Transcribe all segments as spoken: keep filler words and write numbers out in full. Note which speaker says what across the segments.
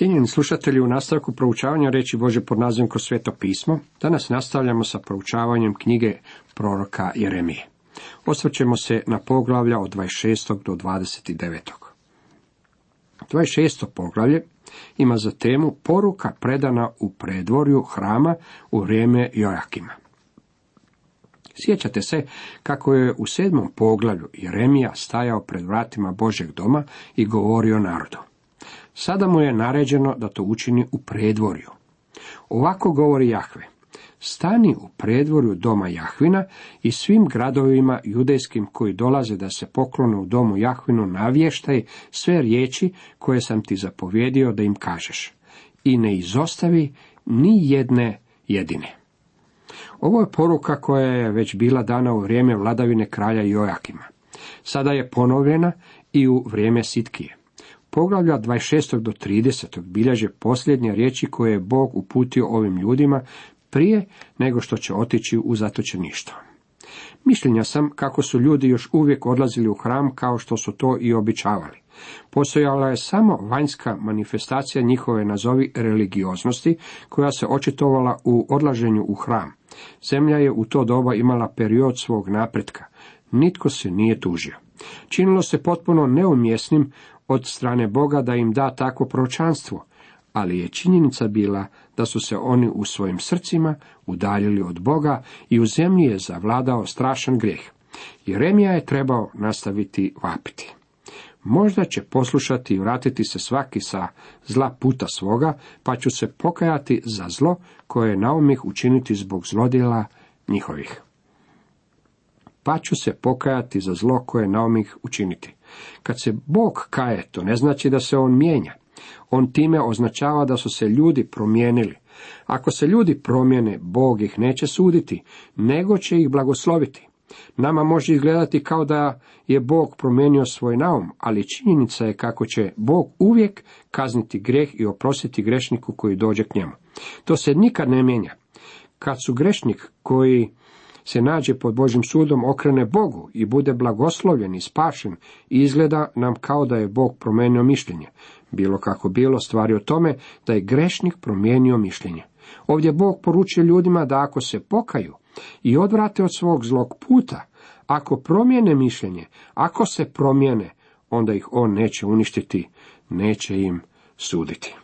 Speaker 1: Cijenjeni slušatelji, u nastavku proučavanja riječi Božje pod nazivom Kroz sveto pismo, danas nastavljamo sa proučavanjem knjige proroka Jeremije. Osvrćemo se na poglavlja od dvadeset šestog do dvadeset devetog. dvadeset šesto poglavlje ima za temu poruka predana u predvorju hrama u vrijeme Jojakima. Sjećate se kako je u sedmom poglavlju Jeremija stajao pred vratima Božjeg doma i govorio narodu. Sada mu je naređeno da to učini u predvorju. Ovako govori Jahve: stani u predvorju doma Jahvina i svim gradovima judejskim koji dolaze da se poklone u domu Jahvinu navještaj sve riječi koje sam ti zapovjedio da im kažeš. I ne izostavi ni jedne jedine. Ovo je poruka koja je već bila dana u vrijeme vladavine kralja Jojakima. Sada je ponovljena i u vrijeme Sitkije. Poglavlja dvadeset šest do trideset bilježe posljednje riječi koje je Bog uputio ovim ljudima prije nego što će otići u zatočeništvo. Mišljenja sam kako su ljudi još uvijek odlazili u hram kao što su to i običavali. Postojala je samo vanjska manifestacija njihove nazovi religioznosti koja se očitovala u odlaženju u hram. Zemlja je u to doba imala period svog napretka. Nitko se nije tužio. Činilo se potpuno neumjesnim od strane Boga da im da takvo proročanstvo, ali je činjenica bila da su se oni u svojim srcima udaljili od Boga i u zemlji je zavladao strašan grijeh. Jeremija je trebao nastaviti vapiti. Možda će poslušati i vratiti se svaki sa zla puta svoga, pa ću se pokajati za zlo koje je naumih učiniti zbog zlodjela njihovih. Pa ću se pokajati za zlo koje je naumih učiniti. Kad se Bog kaje, to ne znači da se on mijenja. On time označava da su se ljudi promijenili. Ako se ljudi promijene, Bog ih neće suditi, nego će ih blagosloviti. Nama može izgledati kao da je Bog promijenio svoj naum, ali činjenica je kako će Bog uvijek kazniti grijeh i oprostiti grešniku koji dođe k njemu. To se nikad ne mijenja. Kad su grešnik koji se nađe pod Božjim sudom okrene Bogu i bude blagoslovljen i spašen, izgleda nam kao da je Bog promijenio mišljenje. Bilo kako bilo, stvari o tome da je grešnik promijenio mišljenje. Ovdje Bog poručuje ljudima da ako se pokaju i odvrate od svog zlog puta, ako promijene mišljenje, ako se promijene, onda ih on neće uništiti, neće im suditi.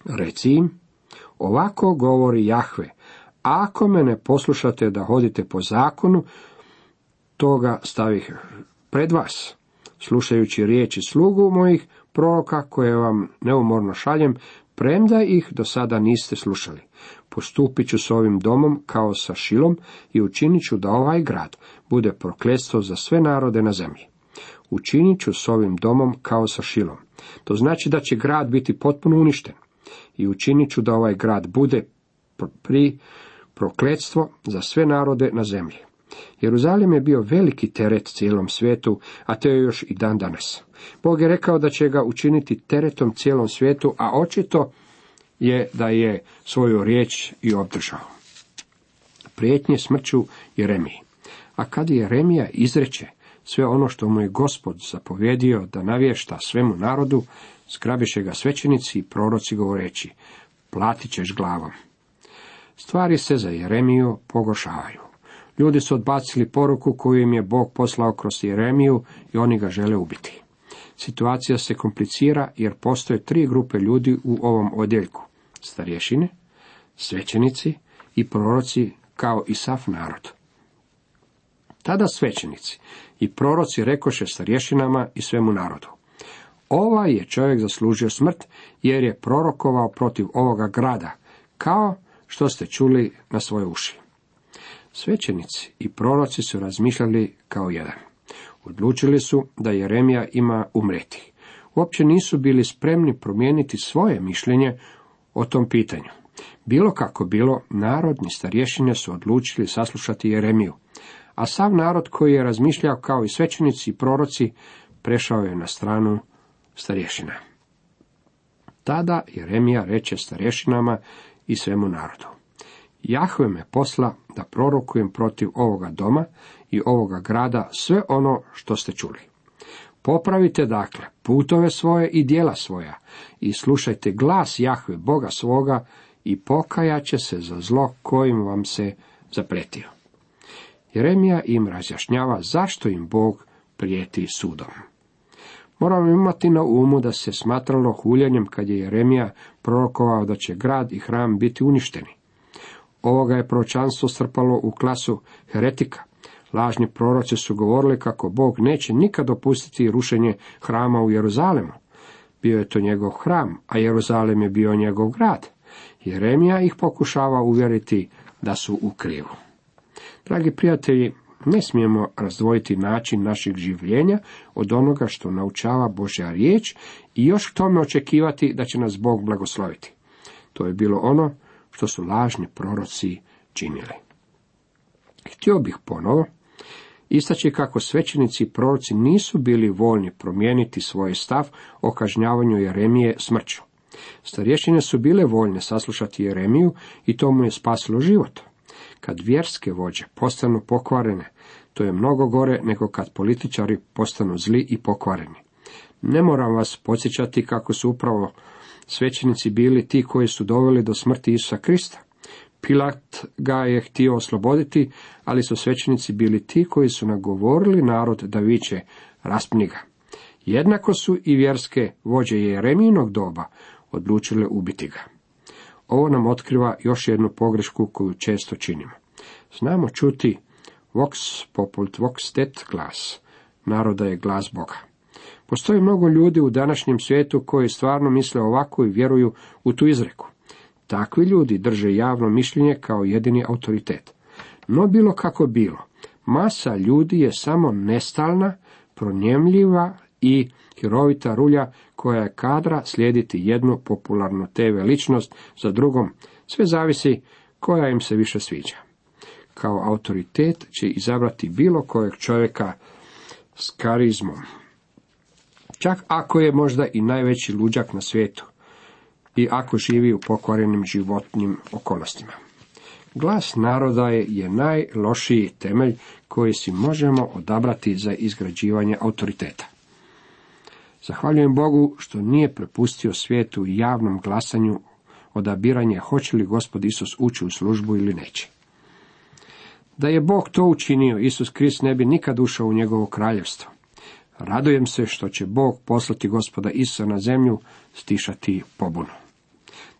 Speaker 1: Reci im, ovako govori Jahve: ako me ne poslušate da hodite po zakonu, toga stavih pred vas. Slušajući riječi slugu mojih proroka koje vam neumorno šaljem, premda ih do sada niste slušali. Postupit ću s ovim domom kao sa Šilom i učinit ću da ovaj grad bude prokletstvo za sve narode na zemlji. Učinit ću s ovim domom kao sa Šilom. To znači da će grad biti potpuno uništen. I učinit ću da ovaj grad bude pri prokletstvo za sve narode na zemlji. Jeruzalem je bio veliki teret cijelom svijetu, a to je još i dan danas. Bog je rekao da će ga učiniti teretom cijelom svijetu, a očito je da je svoju riječ i obdržao. Prijetnje smrću Jeremiji. A kad Jeremija izreče sve ono što mu je Gospod zapovjedio da navješta svemu narodu, zgrabiše ga svećenici i proroci govoreći: platit ćeš glavom. Stvari se za Jeremiju pogoršavaju. Ljudi su odbacili poruku koju im je Bog poslao kroz Jeremiju i oni ga žele ubiti. Situacija se komplicira jer postoje tri grupe ljudi u ovom odjeljku: starješine, svećenici i proroci kao i sav narod. Tada svećenici i proroci rekoše starješinama i svemu narodu: ovaj je čovjek zaslužio smrt jer je prorokovao protiv ovoga grada, kao što ste čuli na svoje uši. Svećenici i proroci su razmišljali kao jedan. Odlučili su da Jeremija ima umreti. Uopće nisu bili spremni promijeniti svoje mišljenje o tom pitanju. Bilo kako bilo, narodni starješine su odlučili saslušati Jeremiju, a sav narod koji je razmišljao kao i svećenici i proroci prešao je na stranu starješina. Tada Jeremija reče starješinama i svemu narodu: Jahve me posla da prorokujem protiv ovoga doma i ovoga grada sve ono što ste čuli. Popravite dakle putove svoje i djela svoja i slušajte glas Jahve Boga svoga i pokajat će se za zlo kojim vam se zapretio. Jeremija im razjašnjava zašto im Bog prijeti sudom. Moramo imati na umu da se smatralo huljenjem kad je Jeremija prorokovao da će grad i hram biti uništeni. Ovoga je proročanstvo strpalo u klasu heretika. Lažni proroci su govorili kako Bog neće nikad dopustiti rušenje hrama u Jeruzalemu. Bio je to njegov hram, a Jeruzalem je bio njegov grad. Jeremija ih pokušava uvjeriti da su u krivu. Dragi prijatelji, ne smijemo razdvojiti način našeg življenja od onoga što naučava Božja riječ i još k tome očekivati da će nas Bog blagosloviti. To je bilo ono što su lažni proroci činili. Htio bih ponovo istaći kako svećenici i proroci nisu bili voljni promijeniti svoj stav o kažnjavanju Jeremije smrću. Starješine su bile voljne saslušati Jeremiju i to mu je spasilo život. Kad vjerske vođe postanu pokvarene, to je mnogo gore nego kad političari postanu zli i pokvareni. Ne moram vas podsjećati kako su upravo svećenici bili ti koji su doveli do smrti Isusa Krista. Pilat ga je htio osloboditi, ali su svećenici bili ti koji su nagovorili narod da viče raspni ga. Jednako su i vjerske vođe Jeremijinog doba odlučile ubiti ga. Ovo nam otkriva još jednu pogrešku koju često činimo. Znamo čuti vox popult vox det glas, naroda je glas Boga. Postoji mnogo ljudi u današnjem svijetu koji stvarno misle ovako i vjeruju u tu izreku. Takvi ljudi drže javno mišljenje kao jedini autoritet. No bilo kako bilo, masa ljudi je samo nestalna, pronjemljiva i hirovita rulja koja je kadra slijediti jednu popularnu te ve ličnost za drugom, sve zavisi koja im se više sviđa. Kao autoritet će izabrati bilo kojeg čovjeka s karizmom, čak ako je možda i najveći luđak na svijetu i ako živi u pokvarenim životnim okolnostima. Glas naroda je, je najlošiji temelj koji si možemo odabrati za izgrađivanje autoriteta. Zahvaljujem Bogu što nije prepustio svijetu i javnom glasanju odabiranje hoće li Gospod Isus ući u službu ili neće. Da je Bog to učinio, Isus Krist ne bi nikad ušao u njegovo kraljevstvo. Radujem se što će Bog poslati Gospoda Isusa na zemlju stišati pobunu.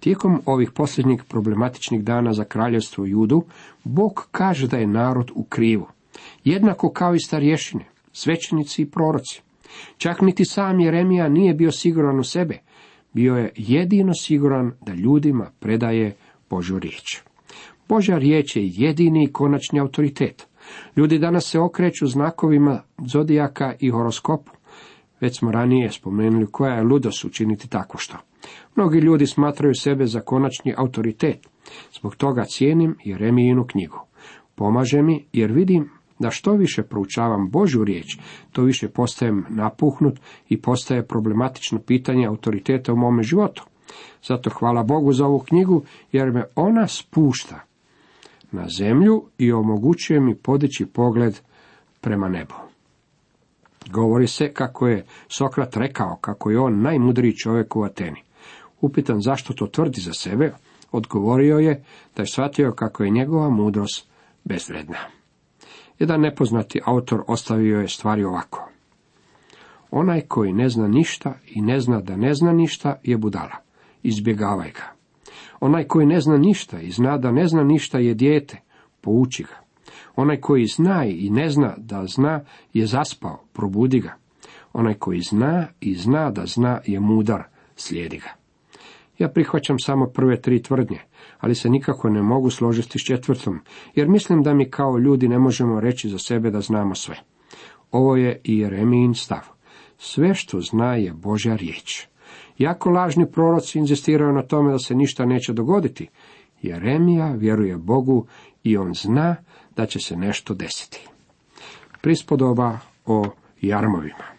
Speaker 1: Tijekom ovih posljednjih problematičnih dana za kraljevstvo Judu, Bog kaže da je narod u krivu, jednako kao i starješine, svećenici i proroci. Čak niti sam Jeremija nije bio siguran u sebe, bio je jedino siguran da ljudima predaje Božju riječ. Božja riječ je jedini i konačni autoritet. Ljudi danas se okreću znakovima zodijaka i horoskopu. Već smo ranije spomenuli koja je ludost učiniti tako što. Mnogi ljudi smatraju sebe za konačni autoritet. Zbog toga cijenim Jeremijinu knjigu. Pomaže mi jer vidim da što više proučavam Božju riječ, to više postajem napuhnut i postaje problematično pitanje autoriteta u mome životu. Zato hvala Bogu za ovu knjigu jer me ona spušta na zemlju i omogućuje mi podići pogled prema nebu. Govori se kako je Sokrat rekao kako je on najmudriji čovjek u Ateni. Upitan zašto to tvrdi za sebe, odgovorio je da je shvatio kako je njegova mudrost bezvredna. Jedan nepoznati autor ostavio je stvari ovako. Onaj koji ne zna ništa i ne zna da ne zna ništa je budala. Izbjegavaj ga. Onaj koji ne zna ništa i zna da ne zna ništa je dijete. Pouči ga. Onaj koji zna i ne zna da zna je zaspao. Probudi ga. Onaj koji zna i zna da zna je mudar. Slijedi ga. Ja prihvaćam samo prve tri tvrdnje, ali se nikako ne mogu složiti s četvrtom, jer mislim da mi kao ljudi ne možemo reći za sebe da znamo sve. Ovo je i Jeremijin stav. Sve što zna je Božja riječ. Jako lažni proroci inzistiraju na tome da se ništa neće dogoditi. Jeremija vjeruje Bogu i on zna da će se nešto desiti. Prispodoba o jarmovima.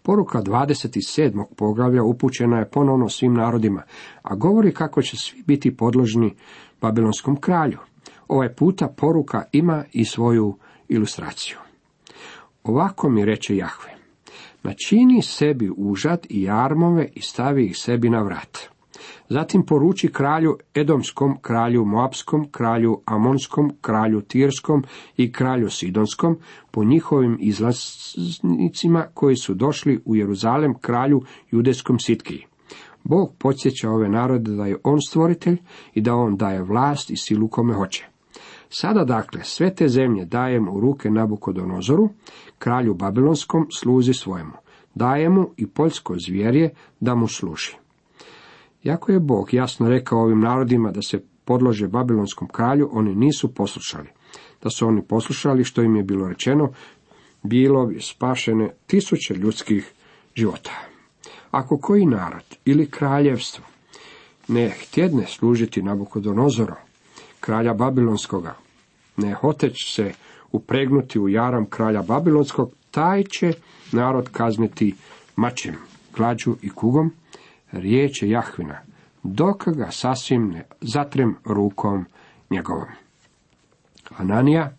Speaker 1: Poruka dvadeset sedmog poglavlja upućena je ponovno svim narodima, a govori kako će svi biti podložni babilonskom kralju. Ovaj puta poruka ima i svoju ilustraciju. Ovako mi reče Jahve, načini sebi užad i jarmove i stavi ih sebi na vrat. Zatim poruči kralju Edomskom, kralju Moapskom, kralju Amonskom, kralju Tirskom i kralju Sidonskom, po njihovim izlaznicima koji su došli u Jeruzalem kralju Judejskom Sitkiji. Bog podsjeća ove narode da je on stvoritelj i da on daje vlast i silu kome hoće. Sada dakle sve te zemlje dajem u ruke Nabukodonozoru, kralju Babilonskom, sluzi svojemu. Daje mu i poljsko zvjerje da mu služi. Iako je Bog jasno rekao ovim narodima da se podlože babilonskom kralju, oni nisu poslušali. Da su oni poslušali što im je bilo rečeno, bilo bi spašene tisuće ljudskih života. Ako koji narod ili kraljevstvo ne htjedne služiti Nabukodonozoru, kralja Babilonskoga, ne hoteć se upregnuti u jaram kralja Babilonskog, taj će narod kazniti mačem, glađu i kugom, riječ je Jahvina, dok ga sasvim ne zatrem rukom njegovom. Hananija,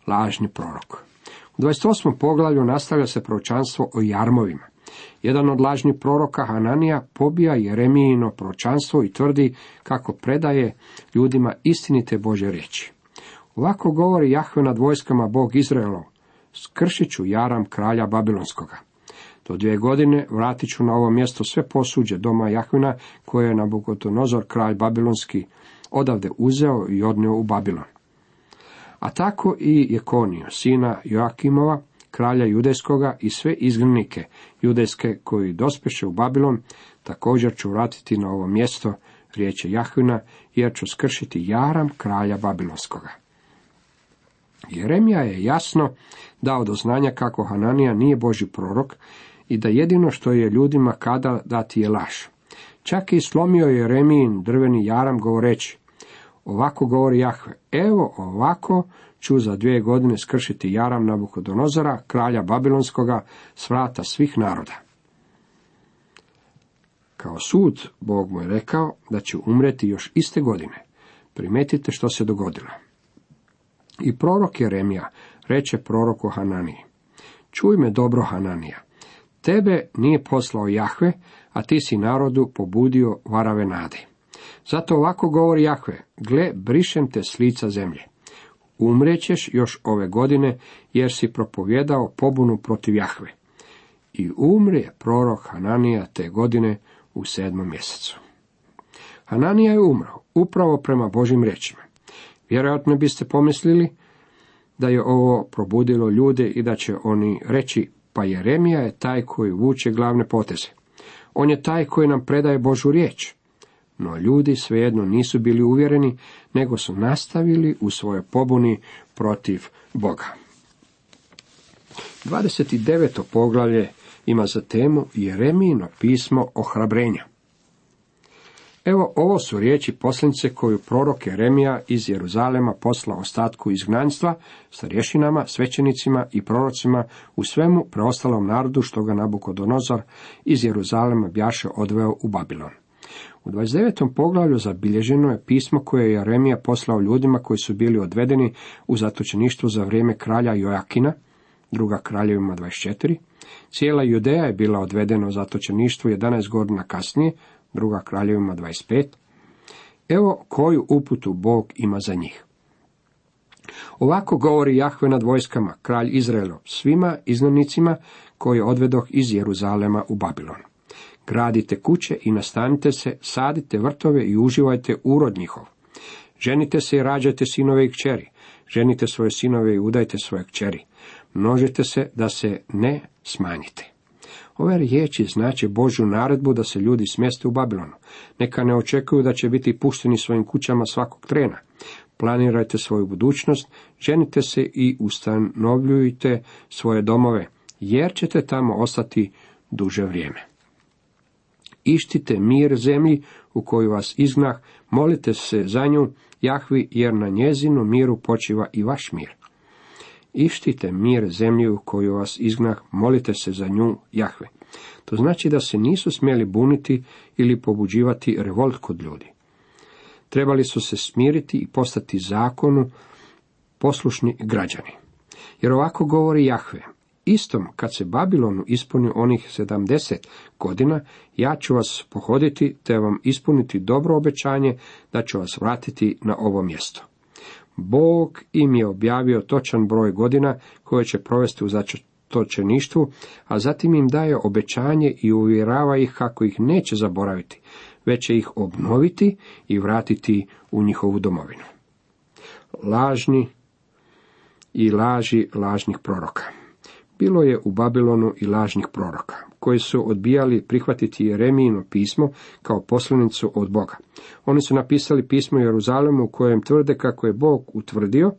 Speaker 1: lažni prorok. U dvadeset osmom poglavlju nastavlja se proročanstvo o jarmovima. Jedan od lažnih proroka, Hananija, pobija Jeremijino proročanstvo i tvrdi kako predaje ljudima istinite Božje riječi. Ovako govori Jahve nad vojskama Bog Izraelov, skršit ću jaram kralja Babilonskoga. Do dvije godine vratit ću na ovo mjesto sve posuđe doma Jahvina koje je Nabukodonozor, kralj Babilonski, odavde uzeo i odnio u Babilon. A tako i Jekoniju, sina Joakimova, kralja Judejskoga, i sve izgnanike judejske koji dospeše u Babilon, također ću vratiti na ovo mjesto, riječ je Jahvina, jer ću skršiti jaram kralja Babilonskoga. Jeremija je jasno dao do znanja kako Hananija nije Božji prorok i da jedino što je ljudima kada dati je laž. Čak i slomio je Jeremijin drveni jaram govoreći, ovako govori Jahve, evo ovako ću za dvije godine skršiti jaram Nabukodonozora, kralja Babilonskoga, s vrata svih naroda. Kao sud, Bog mu je rekao da će umreti još iste godine. Primetite što se dogodilo. I prorok Jeremija reče proroku Hananiji, čuj me dobro, Hananija, tebe nije poslao Jahve, a ti si narodu pobudio varave nade. Zato ovako govori Jahve, gle, brišem te s lica zemlje. Umrećeš još ove godine, jer si propovjedao pobunu protiv Jahve. I umre prorok Hananija te godine u sedmom mjesecu. Hananija je umro, upravo prema Božjim riječima. Vjerojatno biste pomislili da je ovo probudilo ljude i da će oni reći, pa Jeremija je taj koji vuče glavne poteze. On je taj koji nam predaje Božju riječ. No ljudi svejedno nisu bili uvjereni, nego su nastavili u svojoj pobuni protiv Boga. dvadeset deveto poglavlje ima za temu Jeremijino pismo ohrabrenja. Evo, ovo su riječi poslanice koju prorok Jeremija iz Jeruzalema poslao ostatku izgnanstva, starješinama, svećenicima i prorocima, u svemu preostalom narodu što ga Nabukodonozor iz Jeruzalema bjaše odveo u Babilon. U dvadeset devetom poglavlju zabilježeno je pismo koje je Jeremija poslao ljudima koji su bili odvedeni u zatočeništvo za vrijeme kralja Joakina, druga Kraljevima dvadeset četiri. Cijela Judeja je bila odvedena u zatočeništvo jedanaest godina kasnije, druga Kraljevima dvadeset pet. Evo koju uputu Bog ima za njih. Ovako govori Jahve nad vojskama, kralj Izraelov, svima izgnanicima koji odvedoh iz Jeruzalema u Babilon. Gradite kuće i nastanite se, sadite vrtove i uživajte urod njihov. Ženite se i rađajte sinove i kćeri. Ženite svoje sinove i udajte svoje kćeri. Množite se da se ne smanjite. Ove riječi znače Božju naredbu da se ljudi smjeste u Babilonu. Neka ne očekuju da će biti pušteni svojim kućama svakog trena. Planirajte svoju budućnost, ženite se i ustanovljujte svoje domove, jer ćete tamo ostati duže vrijeme. Ištite mir zemlji u koju vas izgnah, molite se za nju, Jahvi, jer na njezinu miru počiva i vaš mir. Ištite mir zemlji u koju vas izgnah, molite se za nju, Jahve. To znači da se nisu smjeli buniti ili pobuđivati revolt kod ljudi. Trebali su se smiriti i postati zakonu poslušni građani. Jer ovako govori Jahve, istom, kad se Babilonu ispuni onih sedamdeset godina, ja ću vas pohoditi, te vam ispuniti dobro obećanje da ću vas vratiti na ovo mjesto. Bog im je objavio točan broj godina koje će provesti u zatočeništvu, a zatim im daje obećanje i uvjerava ih kako ih neće zaboraviti, već će ih obnoviti i vratiti u njihovu domovinu. Lažni i laži lažnih proroka. Bilo je u Babilonu i lažnih proroka, koji su odbijali prihvatiti Jeremijino pismo kao poslanicu od Boga. Oni su napisali pismo Jeruzalemu u kojem tvrde kako je Bog utvrdio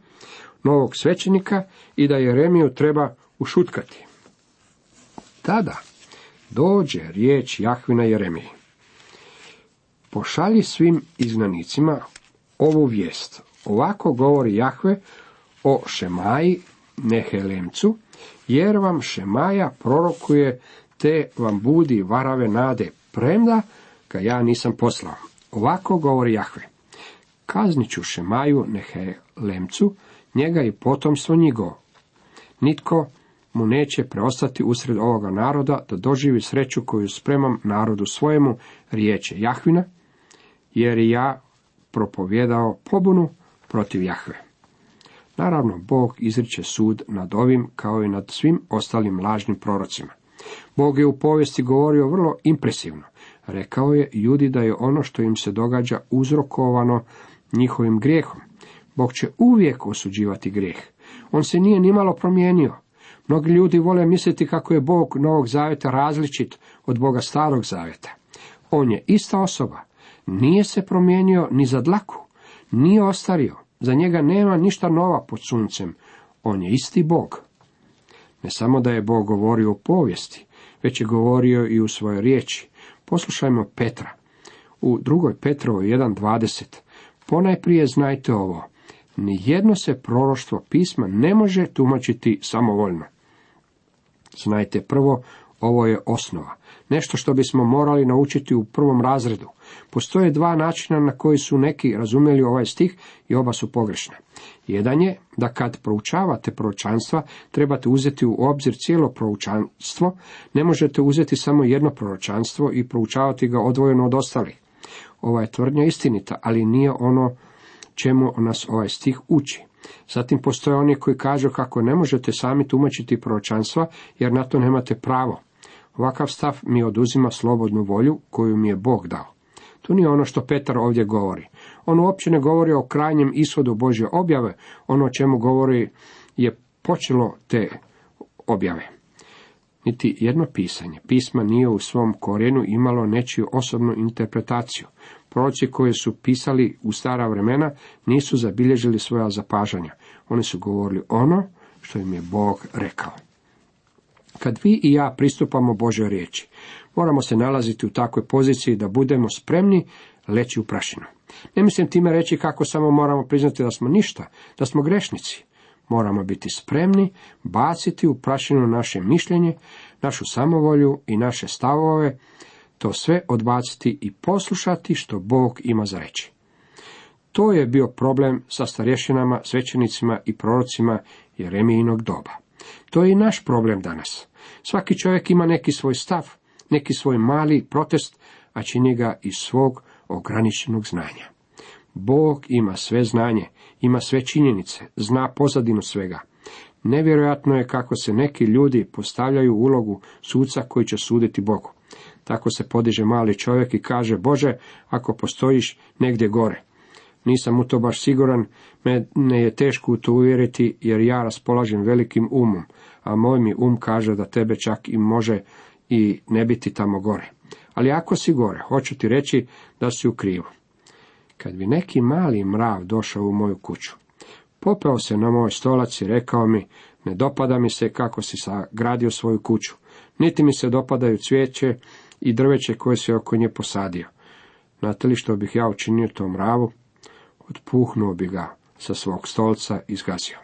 Speaker 1: novog svećenika i da Jeremiju treba ušutkati. Tada dođe riječ Jahvina Jeremiji. Pošalji svim izgnanicima ovu vijest. Ovako govori Jahve o Šemaji Nehelemcu, jer vam Šemaja prorokuje, te vam budi varave nade, premda ga ja nisam poslao. Ovako govori Jahve. Kaznit ću Šemaju Nehelemcu, njega i potomstvo njihovo. Nitko mu neće preostati usred ovoga naroda da doživi sreću koju spremam narodu svojemu, riječe Jahvina, jer i ja propovjedao pobunu protiv Jahve. Naravno, Bog izriče sud nad ovim kao i nad svim ostalim lažnim prorocima. Bog je u povijesti govorio vrlo impresivno. Rekao je Judi da je ono što im se događa uzrokovano njihovim grijehom. Bog će uvijek osuđivati grijeh. On se nije nimalo promijenio. Mnogi ljudi vole misliti kako je Bog Novog Zaveta različit od Boga Starog Zaveta. On je ista osoba. Nije se promijenio ni za dlaku. Nije ostario. Za njega nema ništa nova pod suncem. On je isti Bog. Ne samo da je Bog govorio u povijesti, već je govorio i u svojoj riječi. Poslušajmo Petra. U drugoj Petrovoj jedan dvadeset. Ponajprije znajte ovo. Nijedno se proroštvo pisma ne može tumačiti samovoljno. Znajte prvo, ovo je osnova. Nešto što bismo morali naučiti u prvom razredu. Postoje dva načina na koji su neki razumjeli ovaj stih i oba su pogrešna. Jedan je da kad proučavate proročanstva trebate uzeti u obzir cijelo proročanstvo, ne možete uzeti samo jedno proročanstvo i proučavati ga odvojeno od ostalih. Ova je tvrdnja istinita, ali nije ono čemu nas ovaj stih uči. Zatim postoje oni koji kažu kako ne možete sami tumačiti proročanstva jer na to nemate pravo. Ovakav stav mi oduzima slobodnu volju koju mi je Bog dao. To nije ono što Petar ovdje govori. On uopće ne govori o krajnjem ishodu Božje objave, ono o čemu govori je počelo te objave. Niti jedno pisanje pisma nije u svom korijenu imalo nečiju osobnu interpretaciju. Proroci koji su pisali u stara vremena nisu zabilježili svoja zapažanja. Oni su govorili ono što im je Bog rekao. Kad vi i ja pristupamo Božoj riječi, moramo se nalaziti u takvoj poziciji da budemo spremni leći u prašinu. Ne mislim time reći kako samo moramo priznati da smo ništa, da smo grešnici. Moramo biti spremni baciti u prašinu naše mišljenje, našu samovolju i naše stavove, to sve odbaciti i poslušati što Bog ima za reći. To je bio problem sa starješinama, svećenicima i prorocima Jeremijinog doba. To je i naš problem danas. Svaki čovjek ima neki svoj stav, neki svoj mali protest, a čini ga iz svog ograničenog znanja. Bog ima sve znanje, ima sve činjenice, zna pozadinu svega. Nevjerojatno je kako se neki ljudi postavljaju u ulogu suca koji će suditi Bogu. Tako se podiže mali čovjek i kaže: Bože, ako postojiš negdje gore. Nisam u to baš siguran, mene je teško u to uvjeriti, jer ja raspolažem velikim umom, a moj mi um kaže da tebe čak i može i ne biti tamo gore. Ali ako si gore, hoću ti reći da si u krivu. Kad bi neki mali mrav došao u moju kuću, popeo se na moj stolac i rekao mi: ne dopada mi se kako si sagradio svoju kuću, niti mi se dopadaju cvijeće i drveće koje si oko nje posadio. Znate li što bih ja učinio tom mravu? Otpuhnuo bi ga sa svog stolca i zgazio.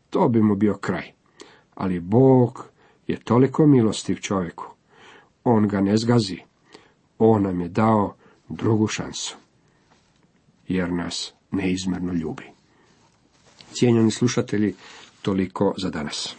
Speaker 1: To bi mu bio kraj. Ali Bog je toliko milostiv čovjeku. On ga ne zgazi. On nam je dao drugu šansu. Jer nas neizmjerno ljubi. Cijenjeni slušatelji, toliko za danas.